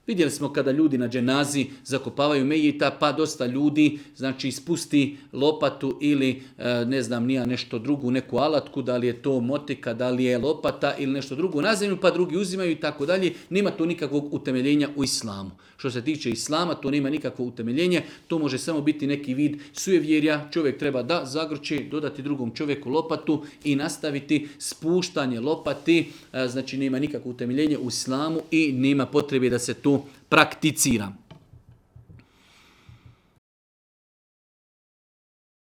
Vidjeli smo kada ljudi na dženazi zakopavaju mejita, pa dosta ljudi znači spusti lopatu ili ne znam nija nešto drugu, neku alatku, da li je to motika, da li je lopata ili nešto drugo na zemlju, pa drugi uzimaju i tako dalje. Nema to nikakvog utemeljenja u islamu. Što se tiče islama, to nema nikakvo utemeljenje, to može samo biti neki vid sujevjerja. Čovjek treba da zagrće, dodati drugom čovjeku lopatu i nastaviti spuštanje lopati, znači nema nikakvo utemeljenje u islamu i nema potrebe da se to prakticira.